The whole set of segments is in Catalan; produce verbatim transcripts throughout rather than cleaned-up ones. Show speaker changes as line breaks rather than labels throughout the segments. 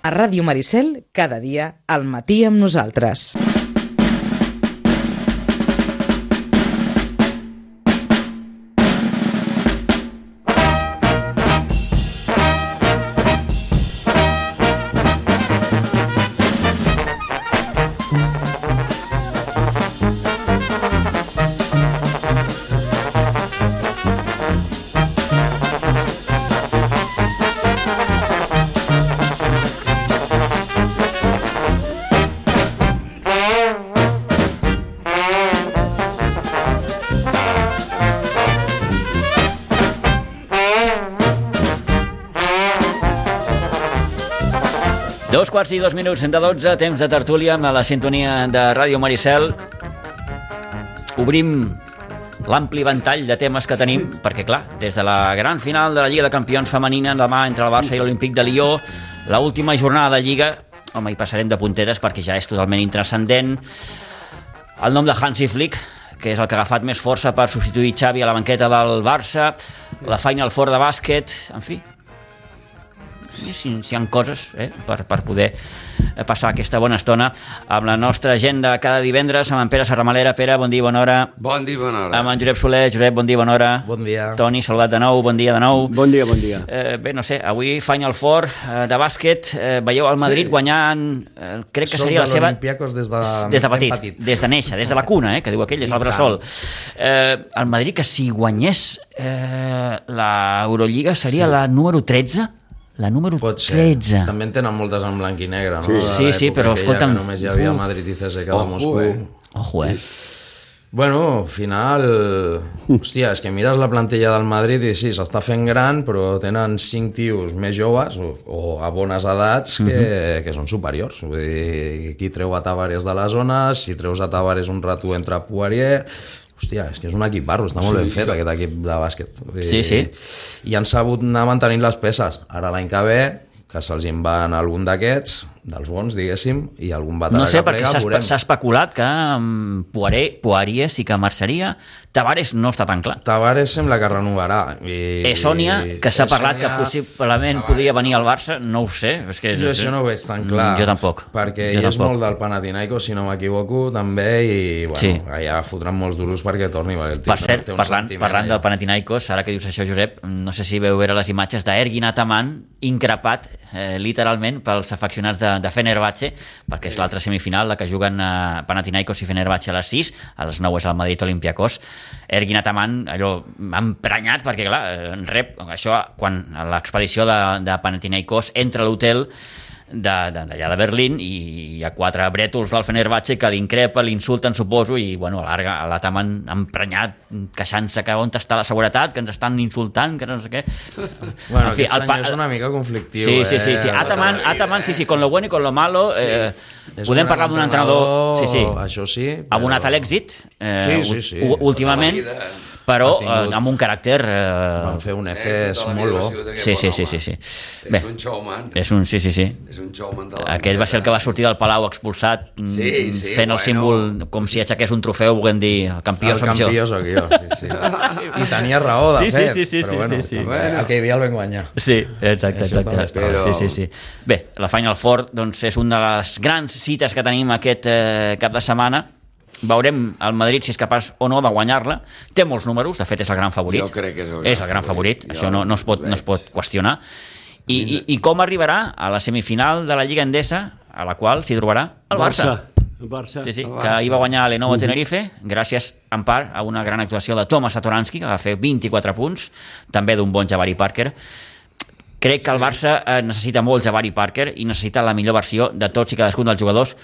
A Ràdio Maricel, cada dia, al matí amb nosaltres.
Dos quarts i dos minuts de dotze, temps de tertúlia a la sintonia de Ràdio Maricel. Obrim l'ampli ventall de temes que tenim, sí. Perquè clar, des de la gran final de la Lliga de Campions femenina demà entre el Barça i l'Olímpic de Lió, l'última jornada de Lliga, home, hi passarem de puntetes perquè ja és totalment intranscendent. El nom de Hansi Flick, que és el que ha agafat més força per substituir Xavi a la banqueta del Barça, la Final Four de bàsquet, en fi, si, si hi ha coses eh, per, per poder passar aquesta bona estona amb la nostra agenda cada divendres amb en Pere Serramalera. Pere, bon dia, bona hora.
Bon dia, bona hora.
Amb en Josep Soler. Josep, bon dia, bona hora.
Bon dia.
Toni, saludat de nou, bon dia de nou.
Bon dia, bon dia.
Eh, bé, no sé, avui Final Four eh, de bàsquet, eh, veieu el Madrid sí. guanyant, eh, crec que
Som
seria la seva...
Olympiacos des de,
des de petit, petit, des de néixer, des de la cuna, eh, que diu aquell, des del bressol. Eh, el Madrid, que si guanyés eh, l'Eurolliga seria sí. la número tretze? La número tretze.
També en tenen moltes en blanc i negre, no?
Sí, sí, sí, però escolta'm...
Només hi havia Madrid i C S K de Moscou.
Ojo, eh?
Bueno, al final... Hòstia, és que mires la plantilla del Madrid i sí, s'està fent gran, però tenen cinc tios més joves o, o a bones edats que, uh-huh. que són superiors. Vull dir, qui treu a Tavares de les zones, si treus a Tavares un rato entre Poirier... Hòstia, és que és un equip barro, està molt sí, ben fet aquest equip de bàsquet. I,
sí, sí.
I han sabut anar mantenint les peces. Ara l'any que ve, que se'ls en van algun d'aquests, dels bons, diguéssim, i algun veterà
no sé,
que plega,
perquè s'ha especulat que um, Poirier, Poirier sí que marxaria. Tavares no està tan clar.
Tavares sembla que renovarà. I...
Esònia, que s'ha parlat que possiblement podria venir al Barça, no ho sé. És que,
jo això no ho veig tan clar.
Jo tampoc.
Perquè
jo
ell és
tampoc.
molt del Panathinaikos, si no m'equivoco, també, i bueno, sí. allà fotran molts duros perquè torni. El
per cert, parlant, parlant del Panathinaikos, ara que dius això, Josep, no sé si veu veure les imatges d'Ergin Ataman increpat, eh, literalment, pels afeccionats de, de Fenerbahce, perquè és l'altra semifinal, la que juguen a Panathinaikos i Fenerbahce a les sis, a les nou és el Madrid Olympiacos. Ergin Ataman, allò, m'ha emprenyat, perquè clar, rep això quan l'expedició de, de Panathinaikos entra a l'hotel d'allà de, de Berlín i hi ha quatre brètols del Fenerbahce que l'increpa, l'insulten, suposo, i bueno, l'Ataman emprenyat, queixant-se que on està la seguretat, que ens estan insultant, que no sé què.
Bueno, en fi, aquest senyor és una mica conflictiu.
Sí, sí, sí, sí.
Eh?
Ataman, Ataman, sí, sí, con lo bueno i con lo malo. Eh, sí. Podem parlar d'un entrenador... Sí, sí.
Això sí. Però...
abonat a l'èxit, eh,
sí, sí, sí.
últimament, però eh, amb un caràcter... Eh...
Van fer un Efes eh, molt bo.
Sí, sí, sí, sí, sí.
Bé, és un showman.
És un, sí, sí, sí.
És un showman de la
Aquell va ser el que va sortir del Palau expulsat,
sí, sí,
fent el
bueno.
símbol com si aixequés un trofeu, volent dir el campió
el
soc jo.
El campió soc jo, sí, sí. I tenia raó, de
sí,
fet.
Sí, sí, sí,
però bueno,
sí, sí.
bueno. aquell dia el vam guanyar.
Sí, exacte, exacte.
Però...
Sí, sí, sí. Bé, la Final Four doncs, és una de les grans cites que tenim aquest eh, cap de setmana. Veurem el Madrid si és capaç o no de guanyar-la. Té molts números, de fet és el gran favorit.
Jo crec que és el gran,
és el gran favorit, favorit. Això no, no, es pot, no es pot qüestionar. I, i, I com arribarà a la semifinal de la Lliga Endesa, a la qual s'hi trobarà el Barça.
El Barça.
Sí, sí,
el
que
Barça.
ahir va guanyar l'Lenovo Tenerife, gràcies en part a una gran actuació de Tomas Satoransky, que va fer vint-i-quatre punts, també d'un bon Jabari Parker. Crec que el Barça necessita molt Jabari Parker i necessita la millor versió de tots i cadascun dels jugadors.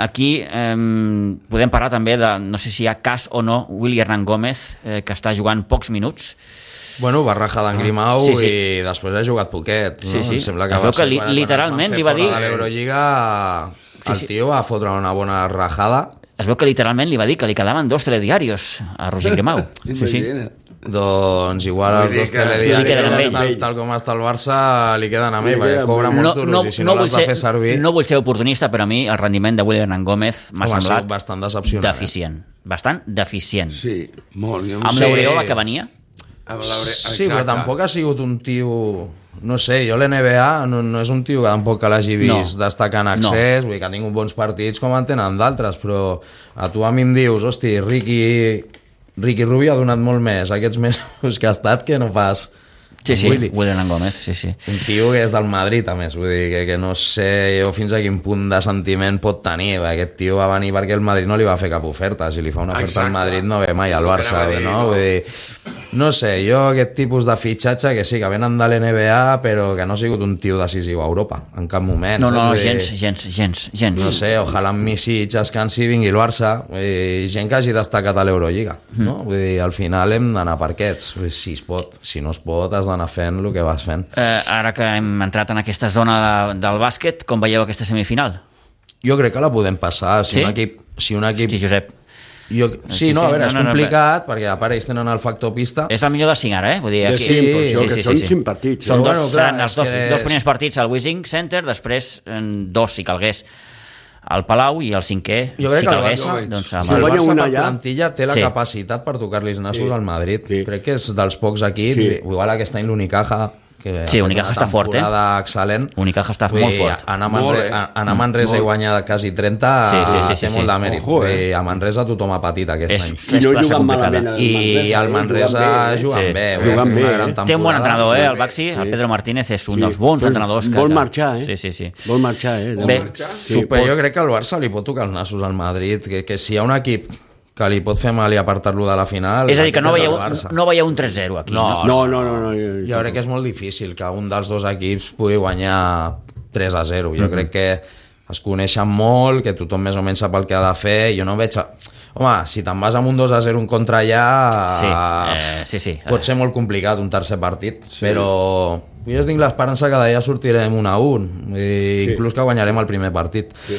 Aquí eh, podem parlar també de, no sé si hi ha cas o no, Willy Hernán Gómez, eh, que està jugant pocs minuts.
Bueno, va rajar d'en Grimau
sí, sí.
i després ha jugat poquet, no?
Sí, sí.
Em sembla que
es
va
veu que
ser
li,
quan,
literalment
quan
li va dir...
a l'Eurolliga el
sí, sí.
tio va fotre una bona rajada.
Es veu que literalment li va dir que li quedaven dos telediarios a Roger Grimau. Sí, sí.
Doncs igual els dos telediaris, tal, tal com està el Barça, li queden a mi, perquè cobra molts duros no, i si no, no l'has de fer servir...
No vull ser oportunista, però a mi el rendiment de Willy Hernán Gómez m'ha semblat
bastant decepcionant.
Deficient. Eh? Bastant deficient.
Sí, molt.
Amb sí. l'Aureola que venia?
Sí, però tampoc ha sigut un tio no sé, jo l'N B A no, no és un tio que tampoc que l'hagi vist
No.
destacar en accés, no. Vull dir que ha tingut bons partits com en tenen d'altres, però a tu a mi em dius, hosti, Ricky, Ricky Rubio ha donat molt més aquests mesos que ha estat que no pas...
Sí, sí,
Willy.
William Gómez, sí, sí.
Un tio que és del Madrid, a més, vull dir que, que no sé jo fins a quin punt de sentiment pot tenir. Aquest tio va venir perquè el Madrid no li va fer cap oferta. Si li fa una oferta
Exacte.
al Madrid no ve mai al
No
Barça,
anava a dir,
no?
no.
Vull dir, no sé, jo aquest tipus de fitxatge que sí, que venen de l'N B A, però que no ha sigut un tio decisiu a Europa, en cap moment.
No,
saps?
no, no,
Vull dir,
gens, gens, gens, gens.
no sé, ojalà amb Misic descansi i vingui el Barça, i gent que hagi destacat a l'Eurolliga, no? Vull dir, al final hem d'anar per aquests, Vull dir, si es pot, si no es pot has d'anar fent el que vas fent.
Eh, ara que hem entrat en aquesta zona de, del bàsquet, com veieu aquesta semifinal?
Jo crec que la podem passar, si
Sí?
un equip... Si un equip
Hosti, Josep,
jo,
Sí,
sí, no,
sí,
a veure,
no,
és
no, no,
complicat, perquè a part ells tenen el factor pista.
és el millor de cinc ara, eh? Vull dir,
De
aquí...
cinc, però
sí,
això,
sí,
que
sí,
són
sí.
cinc partits.
Són
eh?
dos,
Bueno, clar,
seran els
és
dos,
que
dos
és-
primers partits al Wishing Center, després en dos, si calgués, al Palau, i el cinquè,
Jo crec
si
que el
calgués,
Barça-
doncs
Si
amb
el
el...
guanya
Barça
una
per
ja-
plantilla té la
Sí.
capacitat per tocar-li els nassos
Sí.
al Madrid.
Sí.
Crec que és dels pocs equips,
Sí.
igual aquest any l'Unicaja, que ha
Sí,
fet
Unicaja
una
està fort, eh?
temporada excel·lent.
Unicaja està
Vull
molt
dir,
fort.
Anar a
Molt,
Manresa,
eh?
anar a Manresa i
Molt.
guanyar quasi trenta
Sí, sí, sí, sí,
té
sí.
molt de mèrit.
Ojo, eh?
Vull dir, a Manresa tothom ha patit aquest
És,
any.
I
és
no
plaça
juguen
complicada.
malament al
I
Manresa,
el
eh?
Manresa
Juguen bé,
jugant
sí.
bé,
Juguen
ha fet
bé,
una
eh?
gran
Té un bon
temporada.
entrenador, eh, el Baxi, el Pedro Martínez és un dels bons
Vol-
entrenadors que...
Vol
que-
marxar, eh?
Sí, sí, sí.
Vol marxar, eh?
Bé.
marxar?
Sí,
Super,
pot-
jo crec que al Barça li pot tocar els nassos al Madrid, que, que si hi ha un equip que li pot fer mal i apartar-lo de la final...
És a dir, que no
aquest és
veieu,
el Barça.
no veieu un tres zero aquí, no?
No, no, no. no jo,
Jo crec que és molt difícil que un dels dos equips pugui guanyar tres a zero. Jo crec que es coneixen molt, que tothom més o menys sap el que ha de fer. Jo no veig... A... Home, si te'n vas amb un dos a zero un contra allà...
Sí, eh, sí, sí.
Pot ser molt complicat un tercer partit, sí. però jo tinc l'esperança que d'allà sortirem un a un, i
Sí.
inclús que guanyarem el primer partit. Sí.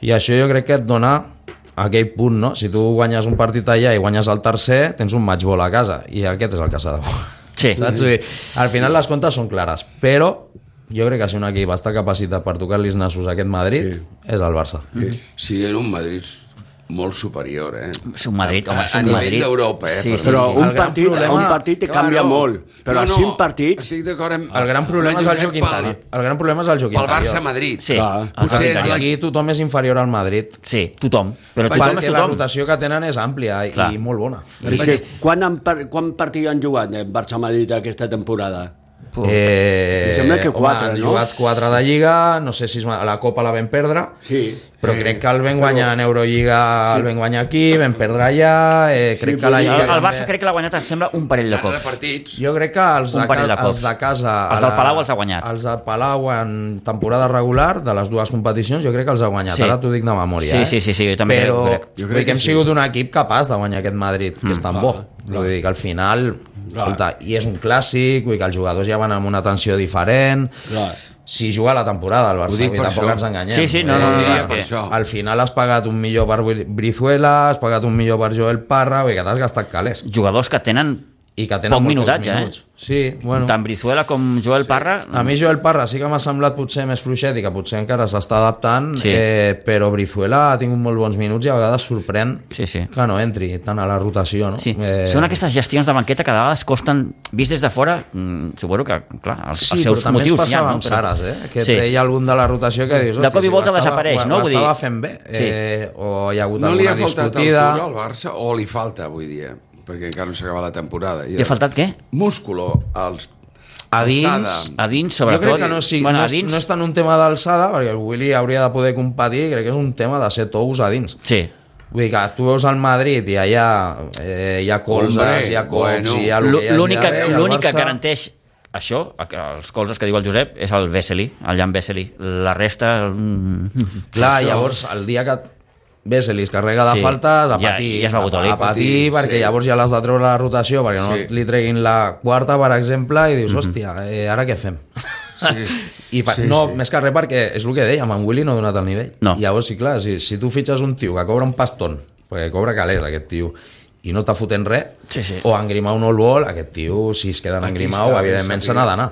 I això jo crec que et dona aquell punt, no? Si tu guanyes un partit allà i guanyes el tercer, tens un match ball a casa, i aquest és el que s'ha de fer.
Sí.
Saps? Vull dir, al final les comptes són clares, però jo crec que si un equip està capacitat per tocar-li els nassos a aquest Madrid,
Sí.
és el Barça.
Sí, en un Madrid molt superior, eh?
És un Madrid, home,
a,
és
a
un
nivell
Madrid.
d'Europa, eh?
Sí,
per
sí,
Però
sí.
un
El gran
partit,
problema-
un partit te canvia
Claro.
molt. Però
no,
a
no,
cinc partits...
Estic d'acord amb...
El gran problema
amb
és el
Josep
joc interior. El gran problema és el joc
Pel
interior.
Barça-Madrid.
Sí,
Clar.
el
Potser
joc
és
interior.
la-
Aquí tothom és inferior al Madrid.
Sí, tothom. Però
Vaig
tothom és
Perquè la
tothom.
rotació que tenen és àmplia i,
Clar.
i molt bona.
És que quan, han, par- quan partit han jugat el Barça-Madrid aquesta temporada?
Eh,
Em sembla que quatre,
home, han
no?
jugat quatre de Lliga, no sé si es va- la Copa la vam perdre,
Sí.
però
Eh,
crec que el vam guanyar en Eurolliga, el vam guanyar aquí, vam perdre allà, eh, crec
Sí,
que la
però
El,
Lliga
el Barça
també...
crec que l'ha guanyat, em sembla, un parell de
de
cops.
partits.
Jo crec que els
Un
de,
parell de
ca-
cops.
els de casa...
Els
a
del Palau els ha guanyat.
Els del Palau en temporada regular, de les dues competicions, jo crec que els ha guanyat.
Sí.
Ara t'ho dic de memòria.
Sí,
eh?
sí, sí, sí, jo també
Però
crec.
jo crec que hem sigut un equip capaç de guanyar aquest Madrid, que és tan bo. Vull dir que al final... Escolta, i és un clàssic, vull dir que els jugadors ja van amb una tensió diferent.
Clar.
Si juga la temporada el
Ho
Barça,
dic
vull dir,
per
tampoc
això.
ens enganyem.
Sí, sí, no,
Eh,
no, no,
diria
és
per
que-
això.
Al final has pagat un millor per Brizuela, has pagat un millor per Joel Parra, vull dir que t'has gastat calés.
Jugadors que tenen
I que tenen
poc
molt pocs
minutatge,
minuts.
eh?
Sí, bueno.
Tant Brizuela com Joel Parra.
A mi Joel Parra sí que m'ha semblat potser més fluixet i que potser encara s'està adaptant,
Sí.
eh, però Brizuela ha tingut molt bons minuts i a vegades sorprèn
Sí, sí.
que no entri tant a la rotació. No?
Sí,
Eh,
són aquestes gestions de banqueta que de vegades costen, vist des de fora, mm, suposo que, clar, els,
Sí,
els
però
seus
també ens
motius
passava
hi ha, no?
amb Saras, eh? que
Sí.
treia algun de la rotació que dius...
De
"Hosti,
cop i
si
volta
ho estava-
desapareix,
ho-
no?
Ho
Vull
estava
dir-
fent bé,
Sí.
eh, o hi ha hagut
No li
alguna
ha faltat
discutida...
altura al Barça, o li falta, vull dir, perquè encara no s'acaba la temporada.
Li ha faltat què?
Músculo, als...
A dins,
alçada.
A dins,
jo
sobretot...
crec que no, sí,
bueno,
no,
a
és,
dins,
no és tant un tema d'alçada, perquè el Willy hauria de poder competir, crec que és un tema de ser tous a dins.
Sí.
Vull dir que tu veus al Madrid i allà eh, hi ha colzes,
Hombre,
hi ha cops,
bueno.
hi ha el que hi hagi
L'únic que,
d'haver, i el
l'únic que
Barça-
garanteix això, els colzes que diu el Josep, és el Vesely, el Jan Vesely. La resta... mm,
Clar, llavors, el dia que Vesely es carrega de
Sí,
faltes, a
ja-
patir,
ja es va
a,
botòlic.
a patir,
Sí,
perquè
sí.
llavors ja l'has de treure la rotació, perquè no
Sí.
li treguin la quarta, per exemple, i dius, hòstia, eh, ara què fem?
Sí.
I pa,
Sí,
no,
sí.
més que res perquè és el que dèiem, en Willy no ha donat el nivell.
No.
I llavors, sí, clar, si, si tu fitxes un tio que cobra un pastón, perquè cobra calés aquest tio, i no està fotent res,
Sí, sí.
o en Grimau no el vol, aquest tio, si es queda en
Aquí
Grimau,
està,
evidentment se
aquí.
n'ha d'anar.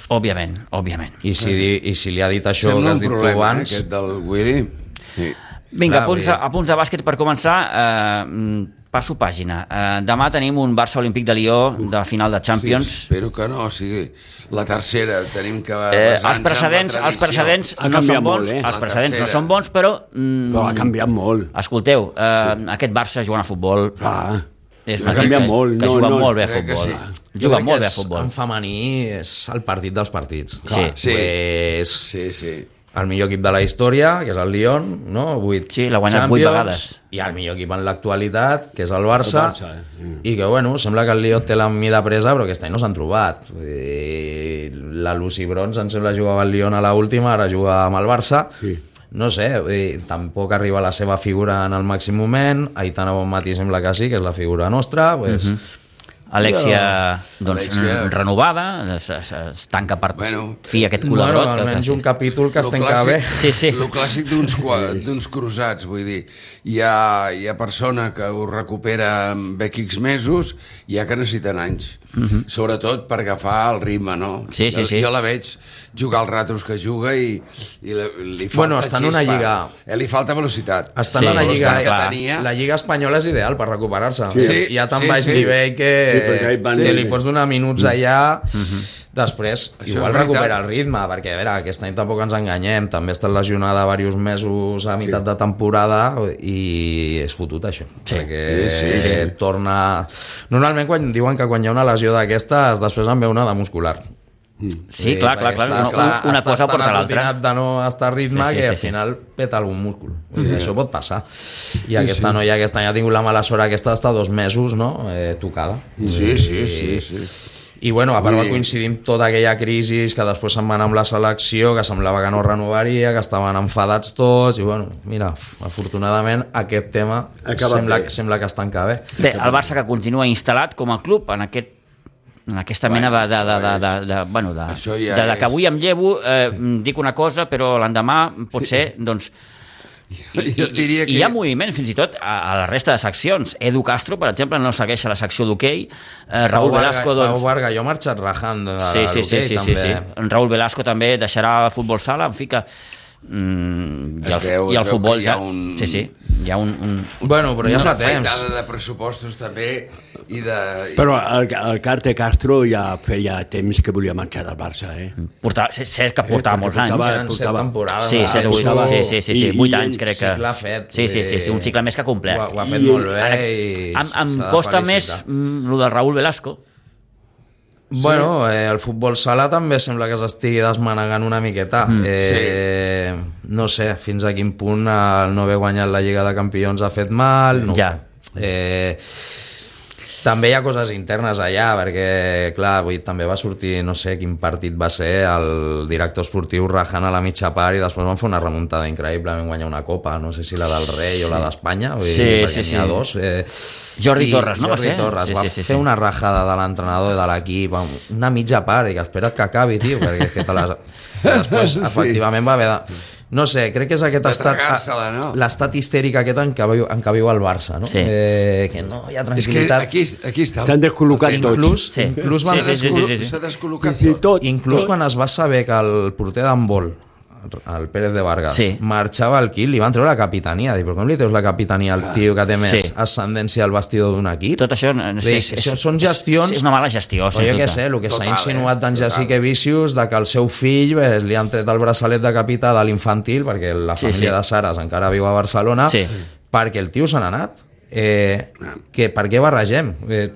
Òbviament, òbviament.
I si, di- I si li ha dit això
Sembla
que has
un
dit tu
problema, eh,
abans...
aquest del Willy. Sí.
Vinga,
Clar,
apunts,
vull
a,
dir-
apunts de bàsquet per començar. Eh, mm, passo pàgina. Uh, demà tenim un Barça Olímpic de Lió de final de Champions.
Sí, espero que no, o sigui, la tercera tenim que
eh, els precedents, els precedents no són bons,
molt, eh?
els precedents no són bons, però... Mm,
però ha canviat molt.
Escolteu, uh, sí. aquest Barça jugant a futbol...
Ah.
És
ha canviat que, molt.
Que
no,
juga
no,
molt bé a futbol. Sí. Juga molt bé a futbol.
En femení és el partit dels partits.
Sí.
Sí.
Pues,
sí, sí.
El millor equip de la història, que és el Lyon, no? vuit
sí, l'ha guanyat vuit vegades.
I el millor equip en l'actualitat, que és el Barça,
el Barça eh? mm.
i que, bueno, sembla que el Lyon té la mida presa, però aquest any no s'han trobat. I la Lucy Bronze, em sembla, jugava al Lyon a l'última, ara juga amb el Barça.
Sí.
No sé, eh, tampoc arriba la seva figura en el màxim moment. Aitana Bonmatí sembla que sí, que és la figura nostra, pues...
Mm-hmm. Alexia, doncs,
Alexia.
renovada, es, es, es tanca per
bueno,
fi aquest culebrot.
Bueno, almenys
que,
un capítol que es tanca bé.
Sí, sí.
El clàssic d'uns d'uns cruzats, vull dir. Hi ha, hi ha persona que ho recupera en X mesos i hi ha que necessiten anys. Uh-huh. Sobretot per agafar el ritme, no?
Sí, sí,
jo,
sí.
jo la veig jugar els ratos que juga i, i li, li falta
Bueno, està en una
xispa.
lliga...
Eh, li falta velocitat.
Està
Sí,
en una lliga...
que tenia...
La lliga espanyola és ideal per recuperar-se.
Sí.
Hi ha tan
Sí,
baix
sí.
nivell que,
Sí, perquè hi van-
que li pots donar minuts allà...
Mhm.
Després,
Això
igual
és veritat.
recupera el ritme, perquè a veure, aquest any tampoc ens enganyem, també està lesionada diversos mesos a meitat de temporada i és fotut això,
Sí.
perquè
Sí, sí, sí.
torna... Normalment quan diuen que quan hi ha una lesió d'aquestes després en ve una de muscular.
Sí, clar, clar, clar.
Està,
Una, una
està
cosa
tan
porta l'altra.
atrotinat de no estar a ritme
Sí, sí,
que
sí,
al
sí.
final peta algun múscul. Vull dir, això pot passar. I aquesta noia aquest any ha tingut la mala sort aquesta d'estar dos mesos, no?, eh, tocada.
Sí, sí, sí, sí.
I bueno, a part
Vull
va
dir-
coincidir amb tota aquella crisi que després se'n va anar amb la selecció, que semblava que no renovaria, que estaven enfadats tots, i bueno, mira, afortunadament aquest tema
Acaba
sembla,
bé.
sembla que es tanca bé.
Bé, el Barça que continua instal·lat com a club en aquest en aquesta mena de, de, de, de, de, de, bueno, de,
Això ja
de, de que
és-
avui em llevo, eh, dic una cosa, però l'endemà pot ser, doncs... I,
Jo diria
i,
que-
hi ha moviment fins i tot a, a la resta de seccions. Edu Castro, per exemple, no segueix a la secció d'hoquei. Eh, Raúl
Pau
Velasco,
Varga,
doncs...
Pau Varga, jo he marxat rajant de
Sí, sí, sí,
l'hoquei,
sí, sí,
també.
sí. Raúl Velasco també deixarà el futbol sala, en fi que... Mm, i,
Es
el,
veu-
i
es
el
veu
futbol
que hi ha
ja...
un-
Sí, sí, hi ha un... un...
Bueno, però ja
Una
fa temps.
afaitada de pressupostos també i de... i-
Però el, el Carte Castro ja feia temps que volia marxar del Barça, eh?
Portava, cert que portava
perquè
molts
portava-
anys.
Eren set
portava-
temporades.
Sí,
de
set o vuit,
penso.
sí, sí, sí, sí,
I-
vuit
i
anys crec que...
cicle fet,
Sí, sí, sí, sí, un cicle més que
Ho,
complet.
ha- ho ha fet
I-
molt bé
Ara,
i
em, em
s'ha de
costa més
felicitar.
mm, lo del Raúl Velasco.
Bueno, eh, el futbol sala també sembla que s'estigui desmanegant una miqueta. Mm, eh, sí. No sé fins a quin punt el no haver guanyat la Lliga de Campions ha fet mal, no ho
Ja.
sé. Eh, també hi ha coses internes allà, perquè, clar, avui també va sortir, no sé quin partit va ser, el director esportiu rajant a la mitja part i després van fer una remuntada increïble, van guanyar una copa, no sé si la del Rei o la d'Espanya, vull dir,
Sí,
perquè
sí,
n'hi ha
sí.
dos. Eh,
Jordi
i
Torres, no va
Jordi
ser?
Torres
Sí,
va
sí, sí,
fer
sí.
una rajada de l'entrenador i de l'equip, una mitja part, i que espera't que acabi, tio, perquè és que te les... que després,
Sí.
efectivament, va haver de... No sé, crec que és aquest
De
estat...
tragar-se-la, no?
L'estat histèric aquest en què, viu, en què viu el Barça, no?
Sí.
Eh, que no hi ha
És que
tranquil·litat.
aquí, aquí està...
T'han descol·locat
el tema.
tots.
Inclús,
Sí.
inclús,
Sí,
van,
sí, sí, sí, sí, sí.
S'ha descol·locat
Sí,
tot.
tot.
inclús quan es va saber que el porter d'handbol, el Pérez de Vargas,
Sí.
marxava al Kiel, li van treure la capitania. Dic, però com li treus la capitania al tio que té més
Sí.
ascendència al vestidor d'un equip?
Tot això... No,
Bé, això són gestions-
És una mala gestió,
Però
sens
jo què
dubte.
sé, el que s'ha
Total,
insinuat
eh?
d'en
Total.
Jessica Vicius de que el seu fill ves, li han tret el braçalet de capità de l'infantil perquè la
Sí,
família
sí.
de Saras encara viu a Barcelona,
Sí.
perquè el tio se n'ha anat. Eh, que, per què barregem? Eh,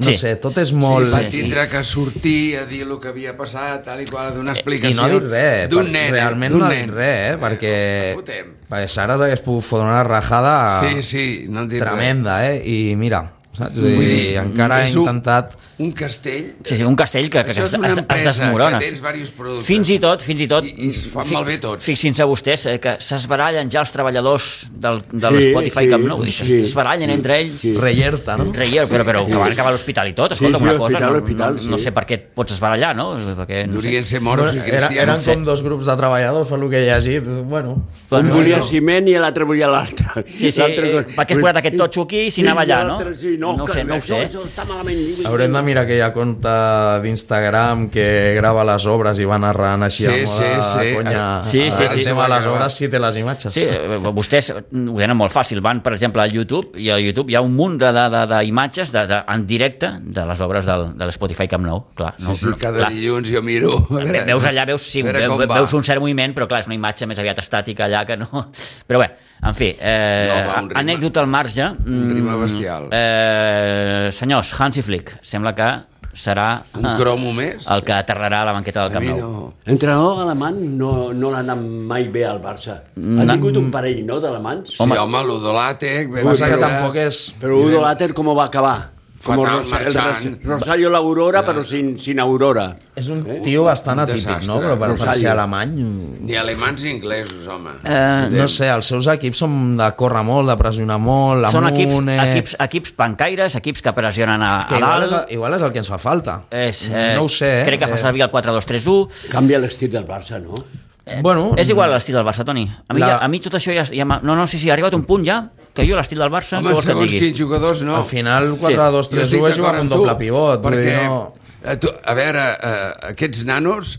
no
Sí.
sé, tot és
Sí,
molt...
va tindre que sortir a dir el que havia passat, tal i qual, donar
I
explicació
no ha dit res,
d'un
per-
nen.
realment
d'un
no ha
nen.
dit res, eh, perquè,
fotem.
perquè Saras hagués pogut fotre una rajada
Sí, sí, no han dit
tremenda, eh? I mira, saps? Vull
Vull
dir,
dir,
encara ha
és un-
intentat...
Un castell...
Sí, sí, un castell que, que, que
Això
es,
és una
es, es
empresa
desmorona.
que tens diversos productes.
Fins i tot, fins i tot...
I- i es fan
fi-
malbé tots.
Fixin-se vostès eh, que s'esbarallen ja els treballadors del, de
Sí,
l'Spotify
sí,
Camp Nou. Sí,
sí.
s'esbarallen entre ells.
Sí.
Reyerta, no?
Reier, però, però que van acabar a l'hospital i tot. Escolta,
Sí, sí,
una cosa,
l'hospital,
no,
l'hospital,
no, no
sí.
sé per què et pots esbarallar, no? Perquè, no sé.
Durien ser moros i
Bueno, era,
cristians.
eren
sí.
com dos grups de treballadors, per lo que he llegit. Bueno,
Un
Bueno,
volia
no.
ciment i l'altre volia l'altre.
Sí, sí,
L'altre-
eh, per què has posat aquest totxo aquí si anava allà, no?
l'altre Sí, no, no,
no ho
que
sé, no ho
això,
sé.
això està malament.
Haurem de mirar aquella compte d'Instagram que grava les obres i va narrant així
Sí,
a moda
sí, sí.
conya.
Sí, sí,
el
sí.
tema de les obres sí té les imatges.
Sí, eh, vostès ho tenen molt fàcil. Van, per exemple, al YouTube, i a YouTube hi ha un munt d'imatges de, de, de, en directe de les obres del, de l'Spotify Camp Nou. Clar, no,
Sí, sí, cada
clar.
dilluns jo miro.
Ve- Veus allà, veus, sí,
A veure
veu,
com va.
veus un cert moviment, però clar, és una imatge més aviat estàtica allà que no... Però bé, en fi, eh,
No, va, un ritme.
anècdota al marge.
Un ritme
mm,
bestial.
Eh, senyors, Hansi Flick, sembla que serà
Un cromo més?
el que aterrarà a la banqueta del
A
Camp
mi
Nou.
no.
Entrenador alemany no, no l'ha anat mai bé al Barça. Ha tingut un parell, no, d'alemanys?
Sí, home, l'Udolàtec...
Passa que tampoc és...
Però Udo Latter com va acabar? Como
Fatal,
Rosa- el
marxant.
Ros- Rosario la Aurora, però sin, sin Aurora.
És un tio bastant
Un
atípic,
desastre.
no? Però per, per ser
Rosario.
alemany...
Ni alemanys ni inglesos, home.
Eh,
No sé, els seus equips són de córrer molt, de pressionar molt,
Són
amunt...
equips,
eh,
equips, equips pancaires, equips que pressionen a,
que
a
igual, és,
dalt.
igual és el que ens fa falta.
És, eh,
no ho sé, eh?
Crec que fa servir el quatre dos tres u.
Canvia l'estil del Barça, no?
Bueno,
És igual l'estil del Barça, Toni. A mi,
La-
ja, a mi tot això ja... ja m'ha- no, no, sí, sí, ha arribat un punt ja que jo l'estil del Barça...
Home,
què vols que et
segons
digui?
quins jugadors, no.
al final quatre dos
Jo
tres
estic
u és jugar
d'acord
amb
amb
un
tu,
doble pivot. vull
perquè,
dir, no...
a, tu, a veure, eh, aquests nanos,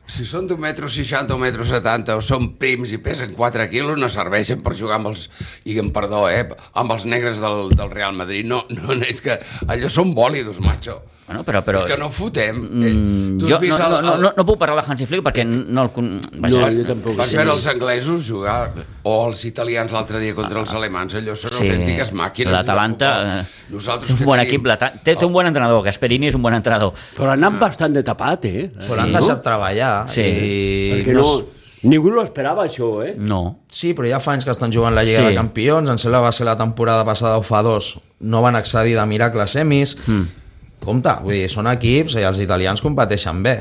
si són d'un metro seixanta o un metro setanta o són prims i pesen quatre quilos, no serveixen per jugar amb els, i amb perdó, eh, amb els negres del, del Real Madrid. No, no, és que allò són bòlidos, macho.
Bueno, però, però,
És que no fotem.
mm,
Eh, tu has
jo
vist
no,
el-
no,
el-
no, no puc parlar de Hansi Flick perquè no el... con- Vaja,
No, jo tampoc.
Vas
Sí.
veure els anglesos jugar o els italians l'altre dia contra els alemans, allò són
Sí,
autèntiques màquines.
l'Atalanta
de futbol.
eh,
Nosaltres
és un
que
bon
tenim-
equip, l'Ata- té, té un bon entrenador, Gasperini és un bon entrenador.
Però han anat bastant de tapat, eh?
Però l'han deixat treballar.
Sí.
I
Perquè no... Ningú lo esperava, això, eh?
No.
Sí, però ja fa anys que estan jugant la Lliga
Sí.
de Campions, em sembla que va ser la temporada passada o fa dos, no van accedir de miracle a semis. Mm. Compte, vull dir, són equips i els italians competeixen bé.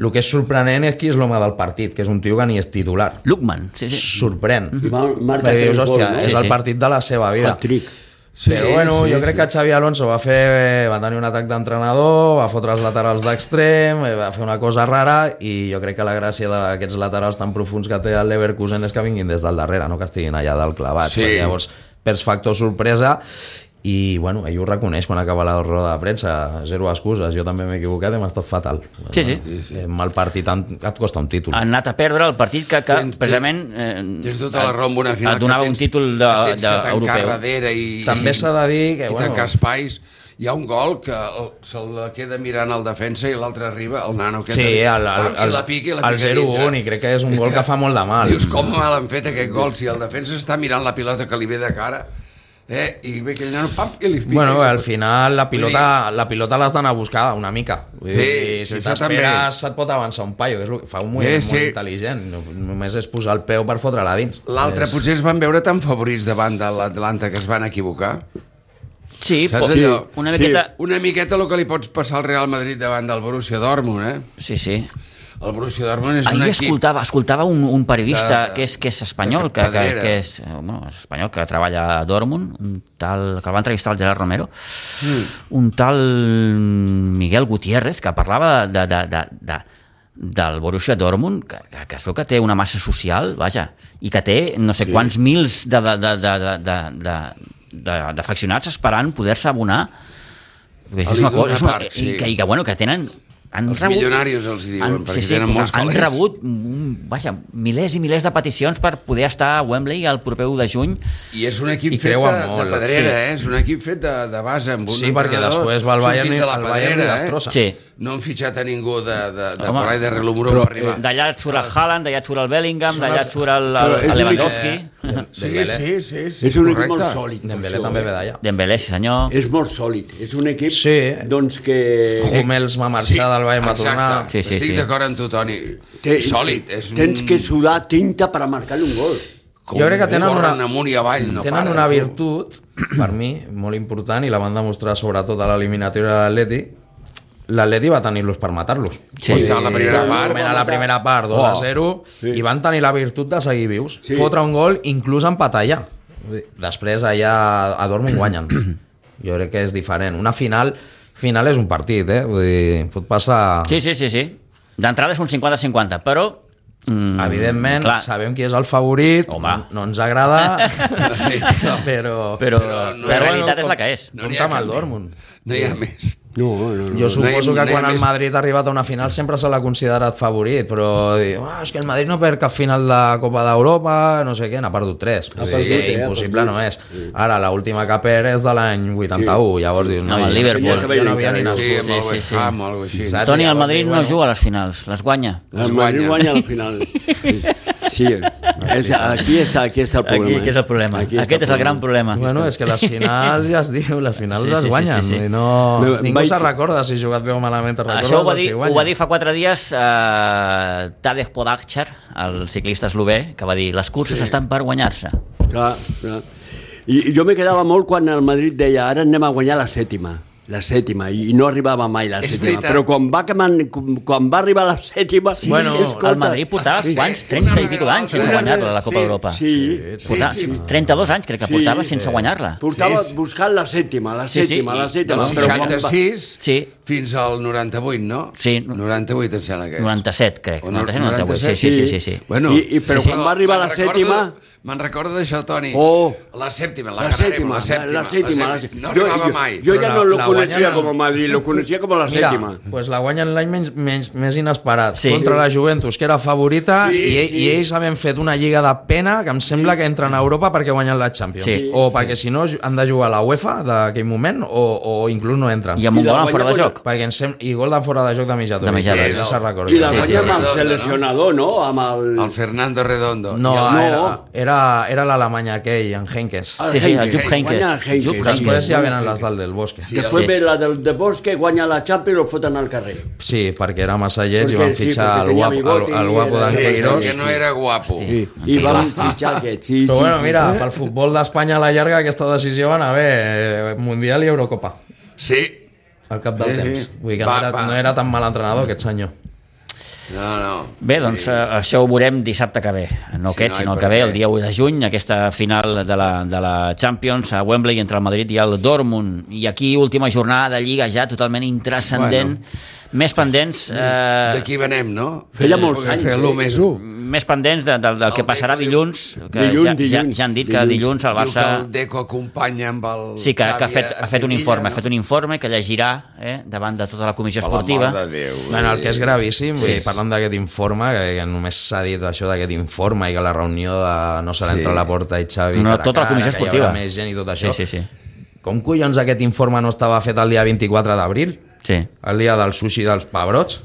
El que és sorprenent és qui és l'home del partit, que és un tio que ni és titular.
Lukman, sí, sí.
Sorprèn.
I va- marca
Perquè dius,
tres
hòstia,
gols, no?
és
Sí,
el
sí.
partit de la seva vida.
Hat-trick.
Sí,
Però bueno,
sí,
jo crec
sí.
que Xavi Alonso va fer va tenir un atac d'entrenador, va fotre els laterals d'extrem, eh, va fer una cosa rara i jo crec que la gràcia d'aquests laterals tan profuns que té el Leverkusen és que vinguin des del darrere, no que estiguin allà dalt clavats.
Sí.
Perquè llavors perds factor sorpresa i bueno, ell ho reconeix quan acaba la roda de premsa, zero excuses, jo també m'he equivocat i m'ha estat fatal.
Sí, sí.
Eh, mal partit et costa un títol.
Han anat a perdre el partit que, que
Tens-
precisament eh,
Tens tota la raó amb una final
et donava
que
un
tens-
títol de,
que tens
de,
que tancar
europeu.
darrere i,
També s'ha de dir que,
i
bueno,
tancar espais. Hi ha un gol que el, se'l queda mirant el defensa i l'altre arriba, el nano aquest.
sí, el, el,
pam, i
el,
la pica i la
el
fica
zero
dintre.
un i crec que és un gol que fa molt de mal.
Dius, com mal han fet aquest gol si el defensa està mirant la pilota que li ve de cara, eh? I ve aquell nano, pam, i li pica.
Bueno, al final la pilota, la pilota l'has d'anar a buscar una mica. Vull dir,
Sí,
si
sí, això també.
t'esperes et pot avançar un paio, que és el que fa un moviment
Sí,
molt
sí.
intel·ligent. No- Només és posar el peu per fotre-la dins.
L'altre,
És-
potser es van veure tan favorits davant de l'Atlanta que es van equivocar.
Sí,
Saps
po-
allò?
una
Sí.
miqueta...
Una miqueta el que li pots passar al Real Madrid davant del Borussia Dortmund, eh?
Sí, sí.
El Borussia Dortmund és un
Ahir
equip...
escoltava, escoltava un, un periodista
de-
que és, que és espanyol,
de
que, que,
Pedrera.
que és, eh, bueno, és espanyol, que treballa a Dortmund, un tal, que el va entrevistar el Gerard Romero, mm. un tal Miguel Gutiérrez, que parlava de, de, de, de, del Borussia Dortmund, que, que, que es veu que té una massa social, vaja, i que té no sé sí. quants mils de, de, de, de, de, de, de, de, d'afeccionats esperant poder-se abonar. És
Ali
una cosa,
d'una
és una,
part,
i,
sí.
que, i que, bueno, que tenen han
Els
rebut,
milionaris els hi diuen,
han,
perquè
sí, sí,
tenen
doncs
molts
han
calés.
rebut mm, vaja, milers i milers de peticions per poder estar a Wembley el proper u de juny.
I és un equip
I
fet de,
creuen
de
molt,
pedrera,
sí.
eh? És un equip fet de, de base amb un
Sí, perquè
entrenador
després va al Bayern
sortit
i-
de la
al Bayern i
pedrera,
destrossa.
Sí.
No han fitxat a ningú de, de, de
Home,
por ahí de relumbró
però,
per arribar.
D'allà et surt el Haaland, d'allà et surt el Bellingham,
Són
d'allà
els-
et surt el,
Però
el,
és
el
un
Lewandowski.
Sí,
Dembélé.
sí, sí, sí,
És un equip
correcte.
molt sòlid.
Dembélé
això,
també
eh?
ve d'allà.
Dembélé, sí senyor.
És molt sòlid. És un equip
Sí.
doncs, que...
Hummels va marxar del Bayern, va tornar.
exacte.
Sí, sí,
Estic
sí.
d'acord amb tu, Toni.
Té-
Sòlid. És un...
Tens que sudar tinta per a marcar un gol.
Com
Jo crec que tenen
corren
una-
amunt i avall, no
Tenen
paren,
una
tu.
virtut, per mi, molt important, i la van demostrar sobretot a l'eliminatòria de l'Atleti. L'Atleti va tenir l'ús per matar-los.
Sí.
I tant, la primera part.
Moment a la primera part, dos a zero,
Sí.
i van tenir la virtut de seguir vius.
Sí.
Fotre un gol, inclús empatar allà. Vull dir, després allà a Dortmund guanyen. Jo crec que és diferent. Una final, final és un partit, eh? Vull dir, pot passar...
Sí, sí, sí, sí. D'entrada és un cinquanta cinquanta, però
Mm, evidentment,
clar.
sabem qui és el favorit,
Home.
no ens agrada, però...
Però,
Però no,
la realitat
bueno,
és la que és.
No n'hi
compta
ha
amb el
cap
Dortmund.
No hi ha més.
No, no, no.
Jo suposo
No hi-
que
no hi ha
quan el
més-
Madrid ha arribat a una final sempre se l'ha considerat favorit, però diu, ah, és que el Madrid no perd cap final de Copa d'Europa, no sé què, n'ha perdut tres.
Ha
O
perdut,
sigui,
eh, ha
impossible
perdut.
no és. Ara, l'última que perd és de l'any vuitanta-u, llavors dius,
No,
no,
el
jo-
Liverpool.
jo no havia ni
Sí,
Sí,
nascut.
amb el
sí,
West
sí.
Ham o alguna cosa així.
Saps?
Toni, el
Llavors
Madrid
diu,
no
bueno.
juga a les finals, les guanya.
Es
El Madrid
guanya.
guanya al final. Sí, és, aquí, està, aquí està el problema.
Aquí, que és el problema.
Aquí està
Aquest és el gran problema.
Bueno, és que les finals, ja es diu, les finals
Sí,
les
sí, sí,
guanyen.
sí, sí.
I no,
Me-
ningú
vaig-
se recorda si ha jugat bé o malament, te recordes
Això ho va,
de
dir,
si
ho
guanya.
va dir fa quatre dies eh, Tadej Pogačar, el ciclista eslové, que va dir les curses
Sí.
estan per guanyar-se.
Clar, clar. I, I jo me quedava molt quan el Madrid deia ara anem a guanyar la sèptima. La sèptima, i no arribava mai la
És
sèptima.
veritat.
Però quan va, quan, quan va arribar la sèptima...
Sí,
Bueno,
bueno, el Madrid portava
sí,
quants?
sí,
trenta
una
i pico
darrere
d'anys sense
l'altra.
guanyar-la, la Copa
Sí,
d'Europa.
Sí,
Portava,
sí, sí.
trenta-dos anys crec que
Sí,
portava sense
sí.
guanyar-la.
Portava
Sí, sí.
buscant la sèptima, la
Sí, sí,
sèptima,
i
la sèptima.
Del
però quan va-
seixanta-sis
Sí.
fins al noranta-vuit, no?
Sí.
noranta-vuit em sembla que és.
noranta-set, crec.
O
noranta-set, noranta-vuit. Sí, sí, sí, sí, sí.
Bueno,
I- i però
sí,
quan va arribar
me'n
la
recordo-
sèptima-
Me'n recordo d'això, Toni.
Oh.
La sèptima, la,
La
ganarem,
sèptima,
la sèptima.
la sèptima.
la sèptima. No arribava
jo,
mai.
Jo
Però
ja
la-
no lo
la
coneixia
guanyen
com a Madrid, lo coneixia com a la
Mira,
sèptima.
pues la guanyen l'any menys, menys, més inesperat,
Sí.
contra la Juventus, que era favorita,
Sí,
i,
sí.
i ells havien fet una lliga de pena que em sembla que entren a Europa perquè guanyen la Champions.
Sí.
O perquè si no han de jugar a la UEFA d'aquell moment, o, o inclús no entren.
I amb un
I la
gol en fora de
guanya
joc.
Perquè em sem... I gol de fora de joc de mitjà.
De mitjà,
sí,
sí.
no se'n recorda.
I la
Sí,
guanya
sí,
amb
sí,
el
sí.
seleccionador, no? Amb el...
El Fernando Redondo.
No,
I el-
No.
era, era, era l'Alemany aquell, en Henkes.
el
Sí, sí, el
Heynckes.
Jupp Heynckes.
Guanya el Heynckes.
Jupp
Sí.
Després ja venen les del del Bosque.
Sí,
Després
Sí.
ve la del de Bosque, guanya la Champions i lo foten al carrer.
Sí, perquè era massa lleig i
Perquè
van
sí,
fitxar
perquè
el
tenia
guapo, el,
bigoti
el guapo
i era-
d'en
Sí,
Queiroz.
que no era guapo.
Sí.
I van fitxar aquest, sí,
Però
sí.
bueno,
sí.
mira, pel futbol d'Espanya a la llarga aquesta decisió va anar bé, eh, Mundial i Eurocopa,
Sí.
al cap del
Sí, sí.
temps. Vull dir que
Va,
no, era,
va.
no era tan mal entrenador aquest senyor.
No, no.
Bé, doncs eh, això ho veurem dissabte que ve. No
Sí,
aquest,
no,
sinó
i
el
per
que ve,
què?
el dia u de juny, aquesta final de la, de la Champions a Wembley entre el Madrid i el Dortmund. I aquí, última jornada de Lliga ja totalment intrascendent.
Bueno.
Més pendents... Eh,
D'aquí venem, no?
Feia molts
Poder
anys,
fer
eh?
l'u més u.
més pendents de, de, del que
El
passarà
Deco diu-
dilluns, que
Dilluns,
ja, ja,
dilluns,
ja han dit que
dilluns.
dilluns el
Diu que
Barça...
el Deco acompanya amb el
Sí, que, que ha,
Xavi
fet,
a
ha fet un
Sevilla,
informe,
no?
ha fet un informe que llegirà eh, davant de tota la comissió
Per l'amor
esportiva.
de Déu.
Bueno, el que és gravíssim, vull
Sí.
dir, parlant d'aquest informe, que, que només s'ha dit això d'aquest informe i que la reunió de no serà
Sí.
entre la Porta i Xavi,
No,
cara a
tota la
cara,
comissió
que hi
esportiva.
haurà més gent i tot això.
Sí, sí, sí.
Com collons aquest informe no estava fet el dia vint-i-quatre d'abril?
sí.
El dia del sushi dels pebrots?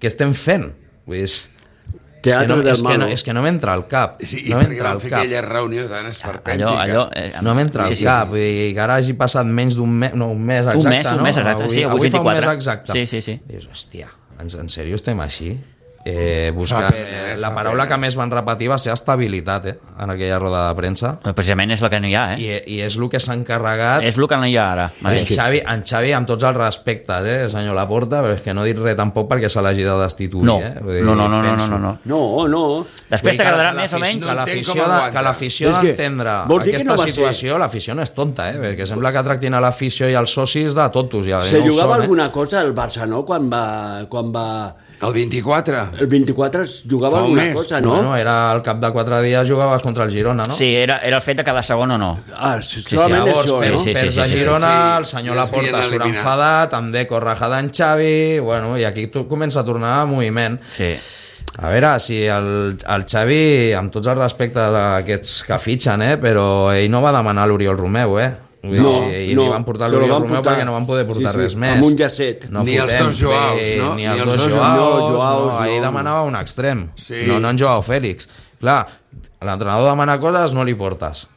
Què estem fent? Vull dir, és, és, que
Teatre
no,
del
és, que no,
malo.
és que no m'entra al cap.
Sí, i
no
perquè
m'entra
van
al
fer
cap.
aquella reunió tan esperpèntica.
Allò, allò, eh,
No m'entra
sí,
al
sí.
cap. Vull dir, que ara hagi passat menys d'un mes, no, un mes exacte,
Un mes, un
no?
mes exacte, sí, avui
avui
és
fa un mes
vint-i-quatre.
exacte.
Sí, sí, sí.
Dius, hòstia, en, en sèrio estem així? Eh, buscant,
Fa pena, eh,
la
fa
paraula
pena.
que més van repetir va ser estabilitat, eh, en aquella roda de premsa.
Però precisament és el que no hi ha, eh?
I, i és el que s'ha encarregat
És el que no hi ha ara.
en
mateix.
Xavi, en Xavi, amb tots els respectes, eh, senyor Laporta, però és que no he dit res tampoc perquè se l'hagi de destituir.
No,
eh? Vull dir,
no, no, no, no,
penso.
no, no.
No, no.
Després
Vull dir que
t'agradarà
la-
més o
l'afició-
menys?
Que
No entenc
l'afició
com
de-
aguanta.
que l'afició
És que
d'entendre
vols dir que
aquesta
no va ser-
situació, l'afició no és tonta, eh? Perquè sembla que tractin a l'afició i als socis de tontos. Ja,
Se
no ho
jugava
són, eh?
alguna cosa al Barça, no? Quan va... Quan va...
El vint-i-quatre?
El vint-i-quatre es jugava
Fa un
alguna
mes.
cosa, no?
Bueno, era al cap de quatre dies jugaves contra el Girona, no?
Sí, era, era el fet de cada segon o no.
Ah,
sí,
solament
Llavors,
això,
perds,
no?
sí, sí,
perds
sí,
a
sí,
Girona,
sí.
el senyor
Ja es
Laporta
havien
surt
eliminat.
enfadat, amb Deco rajada en Xavi, bueno, i aquí tu comença a tornar a moviment.
Sí.
A veure, si el, el Xavi, amb tots els respectes a aquests que fitxen, eh, però ell no va demanar l'Oriol Romeu, eh? Vull
No,
dir, i
no,
li van portar
se lo
l'Oriol
van
Romeu
portar.
perquè no van poder portar
Sí, sí,
res més.
amb un llacet.
No
Ni els
fotem,
dos Joaos,
bé,
no?
Ni els dos Joaos,
no, Joaos,
no, ahir
no.
demanava un extrem,
Sí.
no, no en Joao Fèlix. Clar, l'entrenador demana coses, no li portes.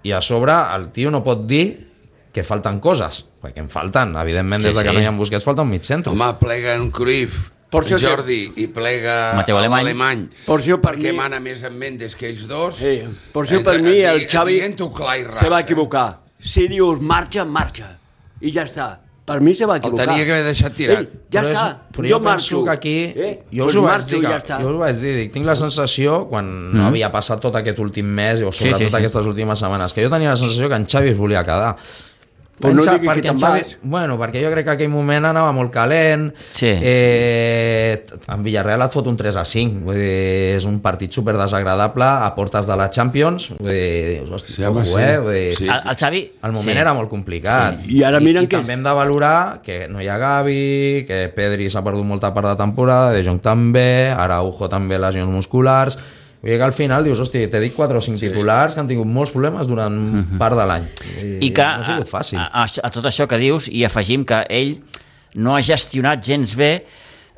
I a sobre el tio no pot dir que falten coses, perquè en falten, evidentment,
Sí,
des de que
sí.
no hi ha Busquets falta un mig centre.
Home, plega en Cruyff,
Per
en
això que-
Jordi, i plega
Mateu
el
Alemany.
Alemany,
Per això per
perquè
mi-
mana més en Mendes que ells dos.
Sí, per això per mi el Xavi
Diguent-ho clar i ras,
se va
eh?
equivocar. Si dius marxa, marxa. I ja està. Per mi se va equivocar.
tenia que haver deixat tirat.
Ei, ja
però
està,
és, però
jo,
jo
marxo.
penso que aquí
Eh?
jo,
pues
us ho vaig
marxo
dir,
i
que,
ja està.
jo us ho vaig dir, dic, tinc la sensació quan no havia passat tot aquest últim mes o sobretot
sí, sí.
aquestes últimes setmanes, que jo tenia la sensació que en Xavi es volia quedar
Però no
Pensa,
digui
perquè
que
en
te'n
Xavi,
vas.
bueno, perquè jo crec que aquell moment anava molt calent.
Sí.
Eh, en Villarreal et fot un tres a cinc. Vull dir, és un partit super desagradable a portes de la Champions. Vull dir, dius, hosti,
Sí, home,
ojo,
sí.
eh? Vull dir,
Sí.
El, el Xavi...
el moment
sí.
era molt complicat.
Sí. I ara miren
I, i
que-
també hem de valorar que no hi ha Gavi, que Pedri s'ha perdut molta part de temporada, De Jong també, Araujo també lesions musculars. Vull dir que al final dius, hosti, t'he dit quatre o cinc sí. titulars que han tingut molts problemes durant uh-huh. part de l'any.
I que
no ha sigut fàcil.
A, a, a tot això que dius, i afegim que ell no ha gestionat gens bé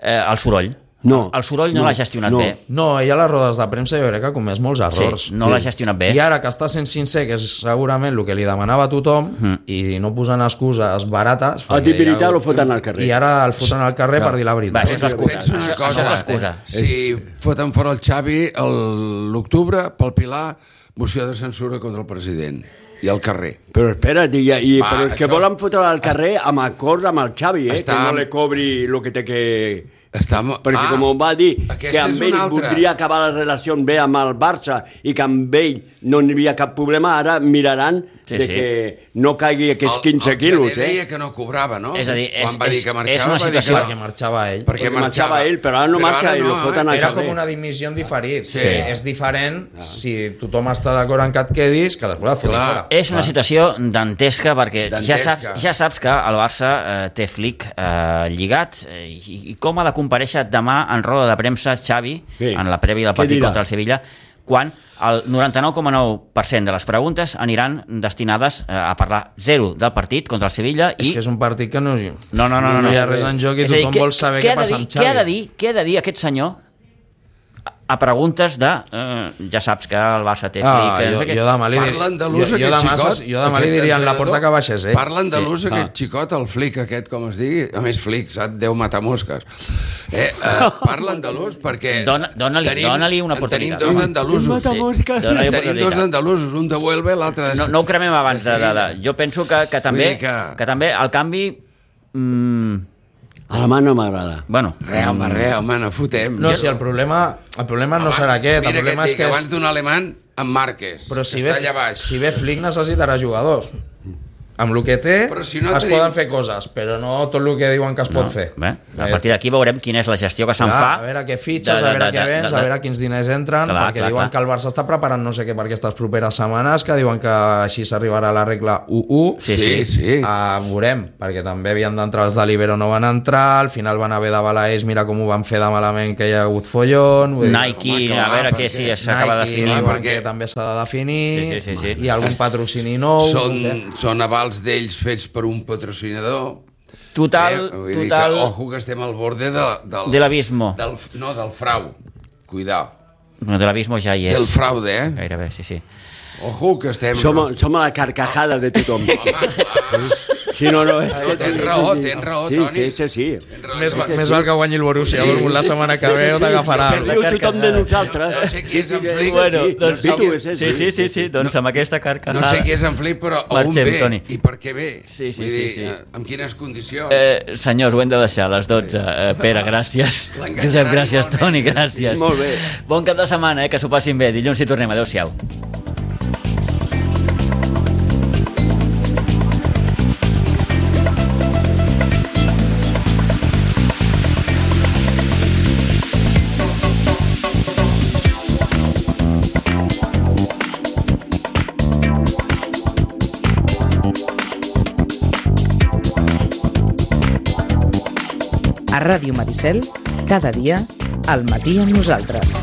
eh, el soroll.
No.
El soroll no,
No,
l'ha gestionat
no.
bé.
No, ell a les rodes de premsa jo crec que ha comès molts errors.
Sí, no l'ha gestionat bé.
I ara que està sent sincer, que és segurament el que li demanava a tothom,
Mhm.
i no posant excuses barates...
A
perquè
dir veritat
hi ha-
lo foten al carrer.
I ara el foten al carrer per dir la
Va,
veritat.
això és l'excusa.
Pensa una
Això,
cosa,
això és l'excusa.
Si foten fora el Xavi el- l'octubre, pel Pilar, moció de censura contra el president i al carrer.
Però espera't, i, i,
Va,
però és que
això-
volen fotre al carrer amb acord amb el Xavi, eh?
Està-
Que no li cobri el que té que...
Està...
Perquè
ah,
com va dir que
aquesta
amb
és
ell
una altra.
voldria acabar la relació bé amb el Barça i que amb ell no hi havia cap problema, ara miraran
Sí,
de
sí.
que no caigui aquests
El-
quinze
el
quilos,
Gené deia
eh?
que no cobrava, no?
És a dir, és-
Quan va dir
és-
que
és
marxava,
una
va dir
situació
que
Perquè marxava ell.
Perquè
Perquè marxava ell, però ara no
Però
marxa
ara
i lo
no,
foten
eh?
al
Era
carrer.
com una dimissió en diferit.
Sí.
Sí. És diferent ah. si tothom està d'acord en que et quedis, que després et fotin
Clar.
fora.
És una situació dantesca perquè ja
Dantesca.
saps, ja saps que el Barça eh, té Flick eh, lligat eh, i, i com ha de comparèixer demà en roda de premsa Xavi
Sí.
en la prèvia del
Què
partit
dirà?
contra el Sevilla quan el noranta-nou coma nou per cent de les preguntes aniran destinades eh, a parlar zero del partit contra el Sevilla i...
És que és un partit que no,
No, no, no, no,
no hi ha
no.
res en joc i
És a dir,
tothom vol saber què
ha de
passa
dir-
amb Xavi.
Què ha de dir, què ha de dir aquest senyor a- a preguntes de... Eh, ja saps que el Barça té Flick...
Ah,
que no
jo,
sé què.
jo demà li,
Parla andalús,
jo, jo
aquest
demà,
xicot.
se- jo demà li
Aquest
diria en la porta
entrenador.
que baixés, eh?
Parla andalús,
Sí.
aquest
Ah.
xicot, el flic aquest, com es digui. A més, flic, sap? Déu matar mosques. Eh, eh, parla andalús perquè...
Dona- dona-li- dona-li una oportunitat.
Tenim dos d'andalusos.
Mata mosques.
Dona-li
Tenim
oportunitat.
dos d'andalusos, un de Huelva i l'altre de...
No, no ho cremem abans de, de, de... Jo penso que, que també
dir que-
que... també el canvi... Mm,
A la mà no m'agrada.
bueno,
Re, home, re, home, no fotem.
No, si el problema, el problema no serà aquest, el
Mira
problema
que
és
et dic,
que... És,
abans d'un alemany, en Marques,
però si
que
ve,
està allà baix.
si ve Flick necessitarà jugadors. Amb el que té
Però si no
es
tenim-
poden fer coses, però no tot el que diuen que es pot
no.
fer.
Bé, a partir d'aquí veurem quina és la gestió que se'n
Clar,
fa.
a veure què fitxes,
de-
a veure
de-
què
de-
vens,
de-
a veure quins diners entren,
Clar,
perquè
clar,
diuen
clar.
que el Barça està preparant no sé què per aquestes properes setmanes, que diuen que així s'arribarà a la regla u u.
Sí,
Sí, sí.
Uh, veurem, perquè també havien d'entrar els de l'Ibero, no van entrar, al final van haver d'avalar ells, mira com ho van fer de malament, que hi ha hagut follon. Vull dir,
Nike,
home, clar,
a veure què
perquè
si s'acaba de
Nike
definir.
diuen
perquè-
que també s'ha de definir,
Sí, sí, sí, sí.
i algun patrocini nou.
Són,
no sé.
són avals d'ells fets per un patrocinador.
Total,
Vull dir
total...
Que, ojo, que estem al borde de, del...
De l'abismo.
Del, no, del frau. Cuidao.
No, de l'abismo ja hi és.
Del fraude, eh?
Gairebé, sí, sí.
Ojo, que estem...
Som, som a la carcajada de tothom. Sí, no, no. És que,
Tens raó, tens raó,
sí,
Toni.
Sí, sí, sí.
Més, va, més val que guanyi el Borussia Dortmund la setmana que ve o t'agafarà.
Se riu tothom de nosaltres.
No sé qui és en Flick.
Bueno,
Sí,
doncs,
no sé qui-
sí, sí, sí, sí, sí, doncs amb aquesta carcajada...
No sé qui és en Flick, però on
Marxem,
ve
Toni.
i per què ve.
Sí, sí,
Vull
sí,
dir,
sí.
eh, amb quines condicions.
Eh, senyors, ho hem de deixar a les dotze. Eh, Pere, gràcies.
L'enganyaran
Josep, gràcies.
igualment.
Toni, gràcies.
Molt bé.
Bon cap de setmana, eh, que s'ho passin bé. Dilluns hi tornem. Adéu-siau.
A Ràdio Maricel, cada dia, al matí amb nosaltres.